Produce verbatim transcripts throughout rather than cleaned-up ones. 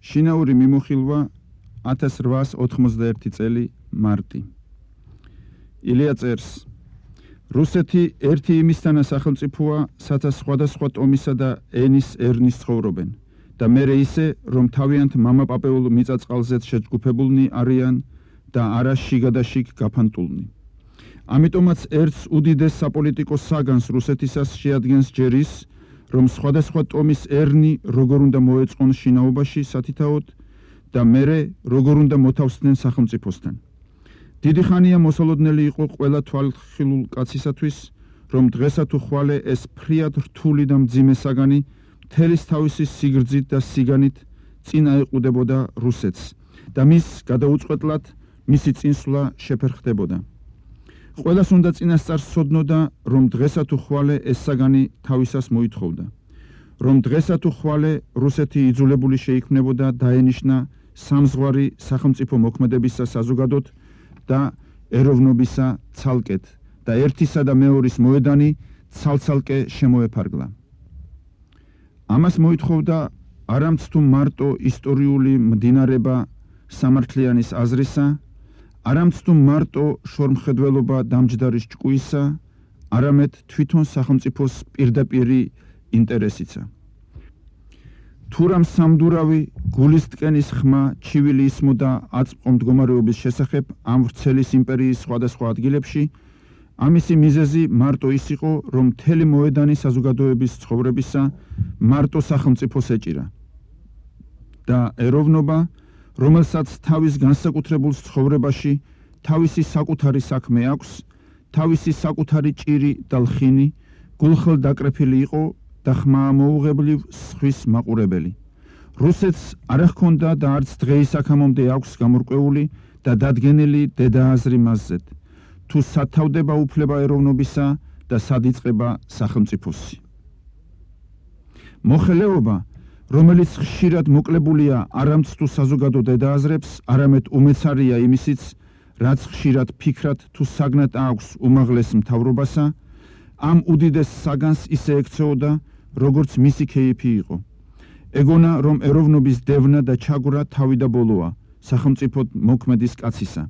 შინაური მიმოხილვა ათას რვაას ოთხმოცდაერთი წელი მარტი. ილია წერს: რუსეთი ერთი იმისთანა სახელმწიფოა, სადაც სხვადასხვა ტომისა და ენის ერნის ცხოვრობენ და მერე ისე, რომ თავიანთ მამაპაპეულ მიწა-წყალზეც შეჯგუფებულნი არიან და არა შიგადაშიგ გაფანტულნი. ამიტომაც ერთს უდიდეს საპოლიტიკო საგანს რუსეთისას შეადგენს ჯერ ის, რომ სხვადასხვა ტომის ერნი როგორ უნდა მოეწყონ შინაობაში სათითაოდ და მერე როგორ უნდა მოთავსდნენ სახელმწიფოსთან. დიდი ხანია მოსალოდნელი იყო ყველა თვალხილულ კაცისათვის, რომ დღესა თუ ხვალე ეს ფრიად რთული და მძიმე საგანი მთელის თავისი სიგრძით და სიგანით წინ აეყუდებოდა რუსეთს და მის გადაუწყვეტლად მისი წინსვლა შეფერხდებოდა. ყველას უნდა წინასწარ სცოდნოდა, რომ დღესა თუ ხვალე ეს საგანი თავისას მოითხოვდა, რომ დღესა თუ ხვალე რუსეთი იძულებული შეიქმნებოდა დაენიშნა სამზღვარი სახელმწიფო მოქმედებისა საზოგადოდ და ეროვნობისა ცალკეთ და ერთისა და მეორის მოედანი ცალ-ცალკე შემოეფარგლა. ამას მოითხოვდა არამც თუ მარტო ისტორიული მდინარება სამართლიანის აზრისა, არამც თუ მარტო შორმხედველობა დამჯდარის ჭკუისა, არამედ თვითონ სახელმწიფოს პირდაპირი ინტერესიცა. თუ რამ სამდურავი გულისტკენის ხმა ჩივილი ისმოდა აწმყო მდგომარეობის შესახებ ამ ვრცელის იმპერიის სხვადასხვა ადგილებში, ამისი მიზეზი მარტო ის იყო, რომ მთელი მოედანი საზოგადოების ცხოვრებისა მარტო სახელმწიფოს ეჭირა და ეროვნობა, რომელსაც თავის განსაკუთრებულ ცხოვრებაში თავისი საკუთარი საქმე აქვს, თავისი საკუთარი ჭირი და ლხინი, გულხელ დაკრეფილი იყო და ხმაამოუღებლივ სხვის მაყურებელი. რუსეთს არ ჰქონდა და არც დღეის აქამდე აქვს გამორკვეული და დადგენილი დედააზრი მასზედ, თუ სად თავდება უფლება ეროვნობისა და სად იწყება სახელმწიფოსი. მოხელეობა, რომელიც ხშირად მოკლებულია არამც თუ საზოგადო დედააზრებს, არამედ უმეცარია იმისიც, რაც ხშირად ფიქრად თუ საგნად აქვს უმაღლეს მთავრობასა, ამ უდიდეს საგანს ისე ექცეოდა, როგორც მისი ქეიფი იყო. ეგონა, რომ ეროვნობის დევნა და ჩაგვრა თავი და ბოლოა სახელმწიფოდ მოქმედის კაცისა.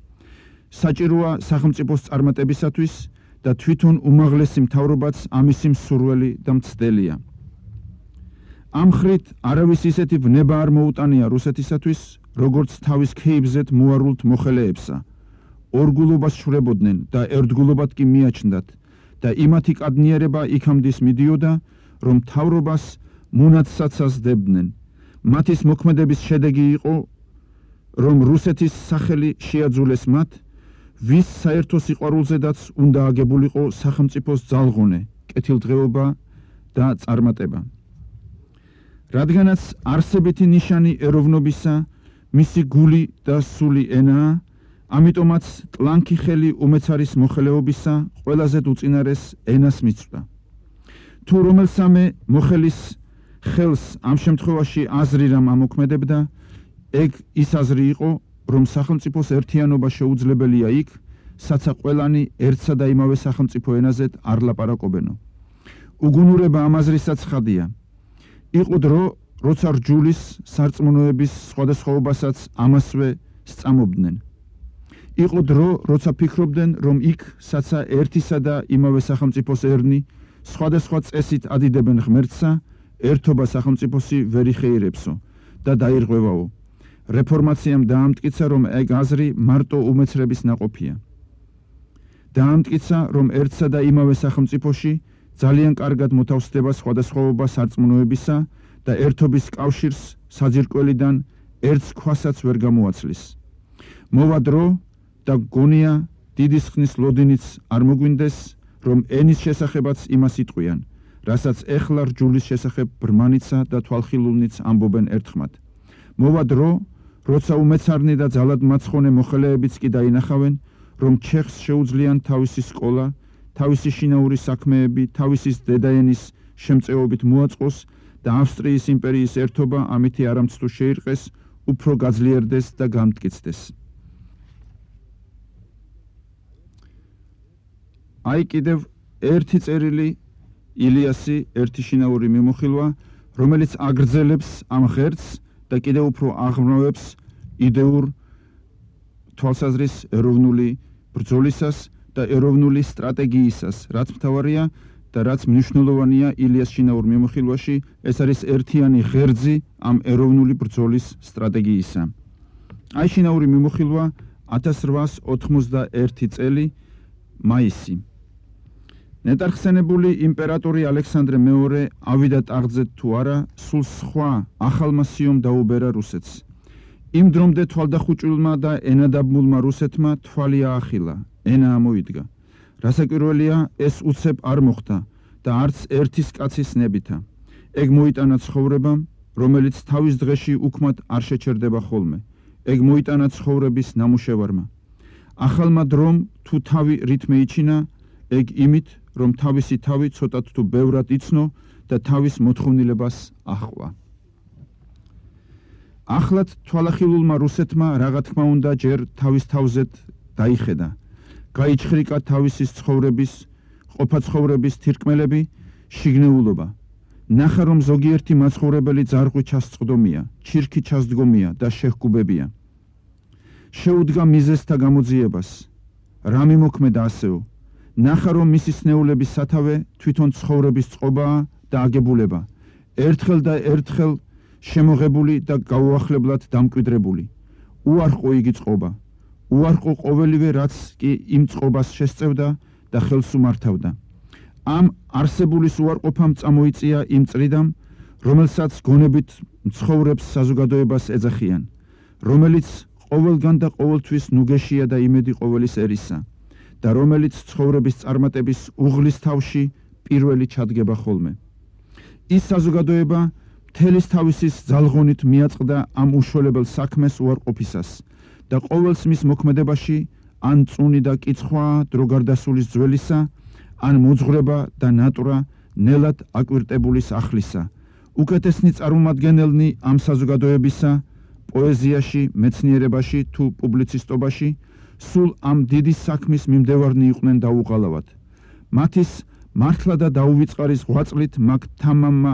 საჭიროა სახელმწიფოს წარმატებისათვის და თვითონ უმაღლესი მთავრობაც ამისი მსურველი და მცდელია. ამ ხრით არავის ისეთი ვნება არ მოუტანია რუსეთისათვის, როგორც თავის ქეიფზეთ მოარულთ მოხელეებსა. ორგულობას შვრებოდნენ და ერთგულობად კი მიაჩნდათ და იმათი კადნიერება იქამდის მიდიოდა, რომ მთავრობას მონათსაცას დებდნენ. მათის მოქმედების შედეგი იყო, რომ რუსეთის სახელი შეაძულეს მათ, ვის საერთო სიყვარულზედაც უნდა აგებულიყო სახელმწიფოს ძალღონე, კეთილდღეობა და წარმატება. რადგანაც არსებითი ნიშანი ეროვნობისა, მისი გული და სული ენაა, ამიტომაც ტლანქი ხელი უმეცარის მოხელეობისა ყველაზე უწინარეს ენას მიცვდა. თუ რომელსამე მოხელის ხელს ამ შემთხვევაში აზრი რამ ამოქმედებდა, ეგ ის აზრი იყო, რომ სახელმწიფოს ერთიანობა შეუძლებელია იქ, საცა ყველანი ერთსა და იმავე სახელმწიფო ენაზედ არ ლაპარაკობენო. უგუნურება ამ აზრისაც ხადია. იყო დრო, როცა რჯულის სარწმუნოების სხვადასხვაობასაც ამასვე სწამობდნენ. იყო დრო, როცა ფიქრობდნენ, რომ იქ, საცა ერთისა და იმავე სახელმწიფოს ერნი სხვადასხვა წესით ადიდებენ ღმერთსა, ერთობა სახელმწიფოსი ვერ იხეირებსო და დაირღვევაო. რეფორმაციამ დაამტკიცა, რომ ეგ აზრი მარტო უმეცრების ნაყოფია. დაამტკიცა, რომ ერთსა და იმავე სახელმწიფოში ძალიან კარგად მოთავსდება სხვადასხვაობა სარწმუნოებისა და ერთობის კავშირს საძირკველიდან ერთს ქვასაც ვერ გამოაცლის. მოვა დრო და გონია დიდი ხნის ლოდინიც არ მოგვინდეს, რომ ენის შესახებაც იმას იტყვიან, რასაც ეხლა რჯულის შესახებ ბრმანიცა და თვალხილულნიც ამბობენ ერთხმად. მოვა დრო, როცა უმეცარნი და ძალად მაცხონე მოხელეებიც კი დაინახავენ, რომ ჩეხს შეუძლიან თავისი სკოლა, თავისი შინაური საქმეები, თავისი დედაენის შემწეობით მოაწყოს და ავსტრიის იმპერიის ერთობა ამითი არამც თუ შეირყეს, უფრო გაძლიერდეს და გამტკიცდეს. აი კიდევ ერთი წერილი ილიასი, ერთი შინაური მიმოხილვა, რომელიც აგრძელებს ამ ღერწს და კიდევ უფრო აღრმავებს იდეურ თვალსაზრის ეროვნული ბრძოლისას და ეროვნული სტრატეგიისას, რაც მთავარია და რაც მნიშვნელოვანია ილიას შინაურ მიმოხილვაში, ეს არის ერთიანი ღერძი ამ ეროვნული ბრძოლის სტრატეგიისა. აი შინაური მიმოხილვა ათას რვაას ოთხმოცდაერთი წელი მაისი. ნეტარხსენებული იმპერატორი ალექსანდრე მეორე ავიდა ტახტზე თუ არა, სულ სხვა ახალმა სიომ დაუბერა რუსეთს. იმ დრომდე თვალდახუჭილმა და ენადაბმულმა რუსეთმა თვალი აახილა, ენა ამოიდგა. რასაკვირველია, ეს უცებ არ მოხდა და არც ერთის კაცის ნებითა. ეგ მოიტანა ცხოვრებამ, რომელიც თავის დღეში უქმად არ შეჩერდება ხოლმე. ეგ მოიტანა ცხოვრების ნამუშევარმა. ახალმა დრომ თუ თავი რით მეიჩინა, ეგ იმით, რომ თავისი თავი ცოტათ თუ ბევრად იცნო და თავის მოთხოვნილებას ახვა. ახლად თვალახილულმა რუსეთმა რაღა თქმა უნდა ჯერ თავის თავზეთ დაიხედა. გაიჩხრიკა თავისის ცხოვრების, ყოფა ცხოვრების თირკმელები, შიგნეულობა. ნახა რომ ზოგიერთი მაცხოვრებელი ძარღვი ჩასწყდომია, ჩირქი ჩასდგომია და შეჰგუბებია. შეუდგა მიზეზთა გამოძიებას. რა მიმოქმედა ასეო? ნახა რომ მისი სნეულების სათავე თვითონ ცხოვრების წყობაა და აგებულება. ერთხელ და ერთხელ შემოღებული და გაუახლებლად დამკვიდრებული. უარყო იგი წყობა. უარყო ყოველივე რაც კი იმ წყობას შესწევდა და ხელს უმართავდა. ამ არსებულის უარყოფამ წამოიწია იმ წრიდამ, რომელსაც გონებით მცხოვრებს საზოგადოებას ეძახიან, რომელიც ყოველგან და ყოველთვის ნუგეშია და იმედი ყოველის ერისა და რომელიც ცხოვრების წარმატების უღლის თავში პირველი ჩადგება ხოლმე. ის საზოგადოება მთელის თავისის ძალღონით მიაწყდა ამ უშველებელ საქმეს უარყოფისას და ყოველს მის მოქმედებაში ან წუნი და კიცხვა დროგარდასულის ძველისა, ან მოძღვრება და ნატურა ნელად აკვირტებულის ახლისა. უკეთესნი წარმომადგენელნი ამ საზოგადოებისა, პოეზიაში, მეცნიერებაში თუ პუბლიცისტობაში, სულ ამ დიდი საქმის მიმდევარნი იყვნენ დაუღალავად. მათის მართლა და დაუვიწყარის ღვაწლით მაგ თამამმა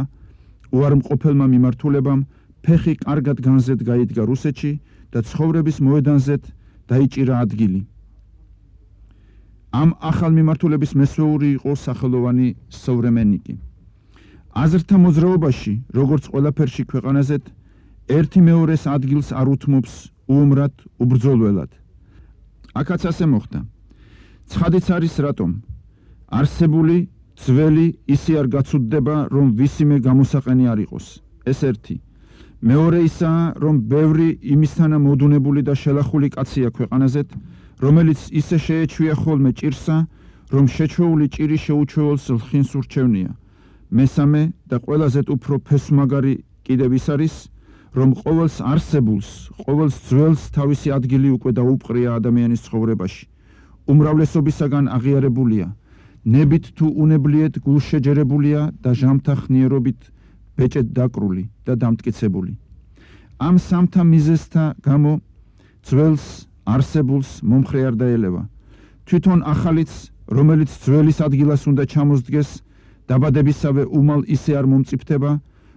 უარმყოფელმა მიმართულებამ ფეხი კარგად განზედ გაიდგა რუსეთში და ცხოვრების მოედანზეთ დაიჭირა ადგილი. ამ ახალ მიმართულების მესვეური იყო სახელოვანი სოვრემენიკი. აზრთა მოძრაობაში, როგორც ყველაფერში ქვეყანაზეთ, ერთი მეორეს ადგილს არ უთმობს უუმრად, უბრძოლველად. აქაც ასე მოხდა. ცხადიც არის რატომ. არსებული ძველი ისე არ გაცუდდება, რომ ვისიმე გამოსაყენი არ იყოს. ეს ერთი. მეორე ისაა, რომ ბევრი იმისთანა მოდუნებული და შელახული კაცია ქვეყანაზეთ, რომელიც ისე შეეჩვია ხოლმე ჭირსა, რომ შეჩვეული ჭირი შეუჩვეულს ლხინს ურჩევნია. მესამე და ყველაზე უფრო ფესვმაგარი კიდევ ის არის, რომ ყოველს არსებულს, ყოველს ძველს თავისი ადგილი უკვე დაუპყრია ადამიანის ცხოვრებაში. უმრავლესობისაგან აღიარებულია, ნებით თუ უნებლიეთ გულშეჯერებულია და ჟამთახნიერობით ბეჭედ დაკრული და დამტკიცებული. ამ სამთა მიზეზთა გამო ძველს არსებულს მომხრე არ დაელევა. თვითონ ახალიც, რომელიც ძველის ადგილას უნდა ჩამოსდგეს, დაბადებისავე უმალ ისე არ მომწიფდება,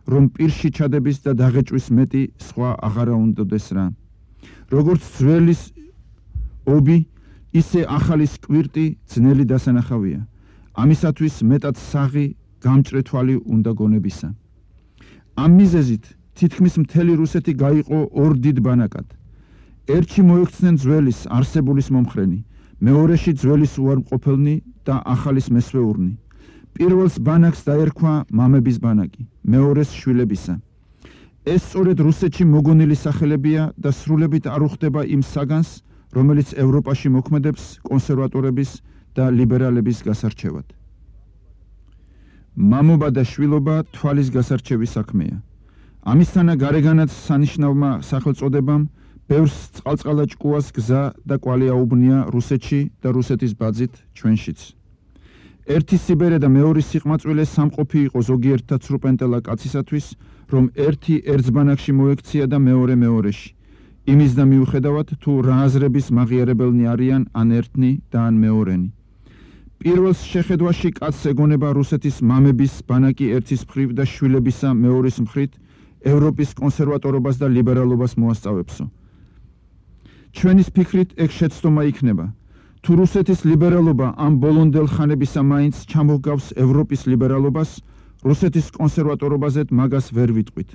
რომ პირში ჩადების და დაღეჭვის მეტი სხვა აღარა უნდადეს რა. როგორც ძველის ობი, ისე ახალის კვირტი ძნელი დასანახავია. ამისათვის მეტად საღი გამჭრე თვალი უნდა გონებისა. ამ მიზეზით თითქმის მთელი რუსეთი გაიყო ორ დიდ ბანაკად. ერთში მოექცნენ ძველის არსებულის მომხრენი, მეორეში ძველის უარმყოფელნი და ახალის მესვეურნი. პირველს ბანაკს დაერქვა მამების ბანაკი, მეორეს შვილებისა. ეს სწორედ რუსეთში მოგონილი სახელებია და სრულებით არ უხდება იმ საგანს, რომელიც ევროპაში მოქმედებს კონსერვატორების და ლიბერალების გასარჩევად. მამობა და შვილობა თვალის გასარჩევის საქმეა. ამისთანა გარეგანაც სანიშნავმა სახელწოდებამ ბევრს წყალწყალა ჭკუას გზა და კვალი აუბნია რუსეთში და რუსეთის ბაძით ჩვენშიც. ერთი სიბერე და მეორე სიყმაწვილე სამყოფი იყო ზოგიერთ ცრუპენტელა კაცისათვის, რომ ერთი ერთბანაკში მოექცია და მეორე მეორეში. იმის და მიუხედავად თუ რა აზრების მაღიარებელნი არიან ან ერთნი და ან მეორენი. პირველს შეხედვაში კაცს ეგონება რუსეთის მამების ბანაკი ერთის მხრივ და შვილებისა მეორის მხრივ ევროპის კონსერვატორობას და ლიბერალობას მოასწავებსო. ჩვენის ფიქრით ეგ შეცდომა იქნება. თუ რუსეთის ლიბერალობა ამ ბოლონდელ ხანებისა მაინც ჩამოგავს ევროპის ლიბერალობას, რუსეთის კონსერვატორობაზეთ მაგას ვერ ვიტყვით.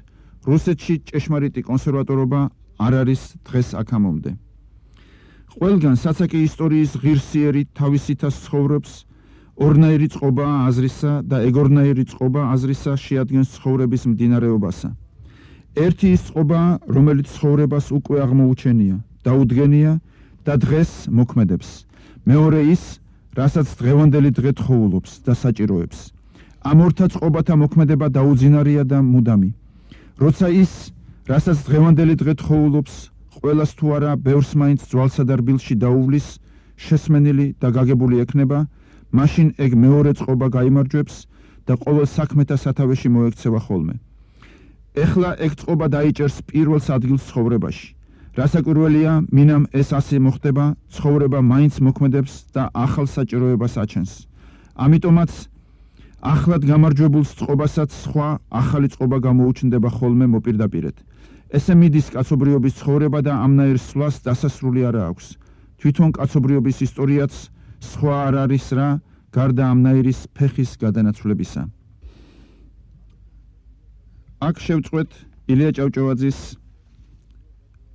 რუსეთში ჭეშმარიტი კონსერვატორობა არ არის დღეს აქამდე. ყველგან საცაკი ისტორიის ღირსიერი თავისითას ცხოვრობს, ორნაირი წყობაა აზრისა და ეგორნაირი წყობა აზრისა შეადგენს ცხოვრების მდინარეობასა. ერთი ის წყობაა, რომელიც ცხოვრებას უკვე აღმოუჩენია, დაუდგენია და დღეს მოქმედებს. მეორე ის, რასაც დღევანდელი დღე თხოვულობს და საჭიროებს. ამ ორთა წყობათა მოქმედება დაუძინარია და მუდამი. როცა ის, რასაც დღევანდელი დღე თხოვულობს, ყველას თუ არა ბევრს მაინც ძვალსა და რბილში დაუვლის, შესმენილი და გაგებული ექნება, მაშინ ეგ მეორე წყობა გაიმარჯვებს და ყოველ საქმეთა სათავეში მოექცევა ხოლმე. ეხლა ეგ წყობა დაიჭერს პირველს ადგილს ცხოვრებაში. რასაკვირველია, მინამ ეს ასე მოხდება, ცხოვრება მაინც მოქმედებს და ახალ საჭიროებას აჩენს. ამიტომაც ახლად გამარჯვებულ წყობასაც სხვა ახალი წყობა გამოუჩნდება ხოლმე მოპირდაპირედ. ესე მიდის კაცობრიობის ცხოვრება და ამნაირ სვლას დასასრული არა აქვს. თვითონ კაცობრიობის ისტორიაც სხვა არ არის რა, გარდა ამნაირის ფეხის გადანაცვლებისა. აქ შევწყვეთ ილია ჭავჭავაძის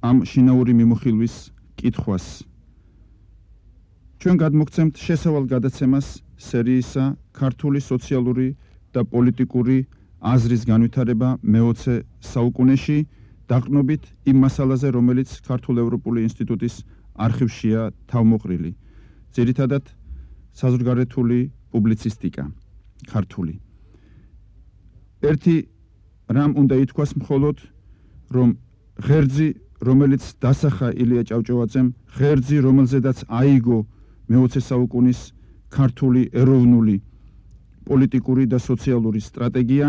ამ შინაური მიმოხილვის კითხვას. ჩვენ გადმოგცემთ შესავალ გადაცემას სერიისა ქართული სოციალური და პოლიტიკური აზრის განვითარება მეოცე საუკუნეში, დაყრდნობით იმ მასალაზე, რომელიც ქართულ-ევროპული ინსტიტუტის არხივშია თავმოყრილი. ძირითადად საზღვარგარეთული პუბლიცისტიკა ქართული. ერთი რამ უნდა ითქვას მხოლოდ, რომ ღერძი, რომელიც დასახა ილია ჭავჭავაძემ, ღერძი, რომელზედაც აიგო მეოცე საუკუნის ქართული ეროვნული პოლიტიკური და სოციალური სტრატეგია,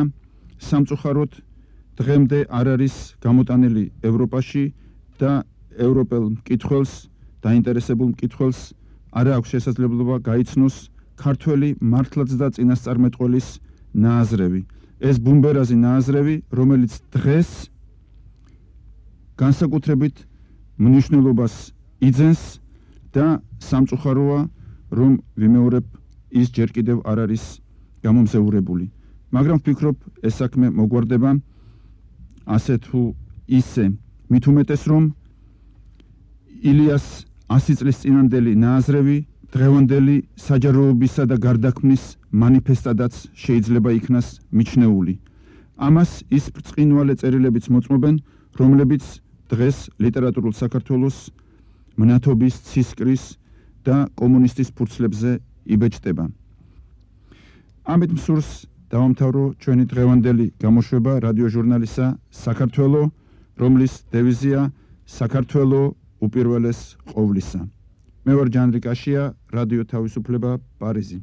სამწუხაროდ დღემდე არ არის გამოტანილი ევროპაში და ევროპელ მკითხველს, დაინტერესებულ მკითხველს არ აქვს შესაძლებლობა გაიცნოს ქართველი მართლაც და წინასწარმეტყველის ნააზრევი. ეს ბუმბერაზი ნააზრევი, რომელიც დღეს განსაკუთრებით მნიშვნელობას იძენს და სამწუხაროა, რომ ვიმეორებ, ის ჯერ კიდევ არ არის გამომზეურებული. მაგრამ ვფიქრობ, ეს საქმე მოგვარდება ასე თუ ისე. მით უმეტეს, რომ ილიას ასი წლის წინანდელი ნააზრევი დღევანდელი საჯაროობისა და გარდაქმნის მანიფესტადაც შეიძლება იქნას მიჩნეული. ამას ის ბრწყინვალე წერილებიც მოწმობენ, რომლებიც დღეს ლიტერატურულ საქართველოს მნათობის, ცისკრის და კომუნისტის ფურცლებზე იბეჭდება. ამით მსურს დავამთავრო ჩვენი დღევანდელი გამოშვება რადიო ჟურნალისა საქართველო, რომლის დევიზია საქართველო უპირველეს ყოვლისა. მე ვარ ჯანრი კაშია, რადიო თავისუფლება, პარიზი.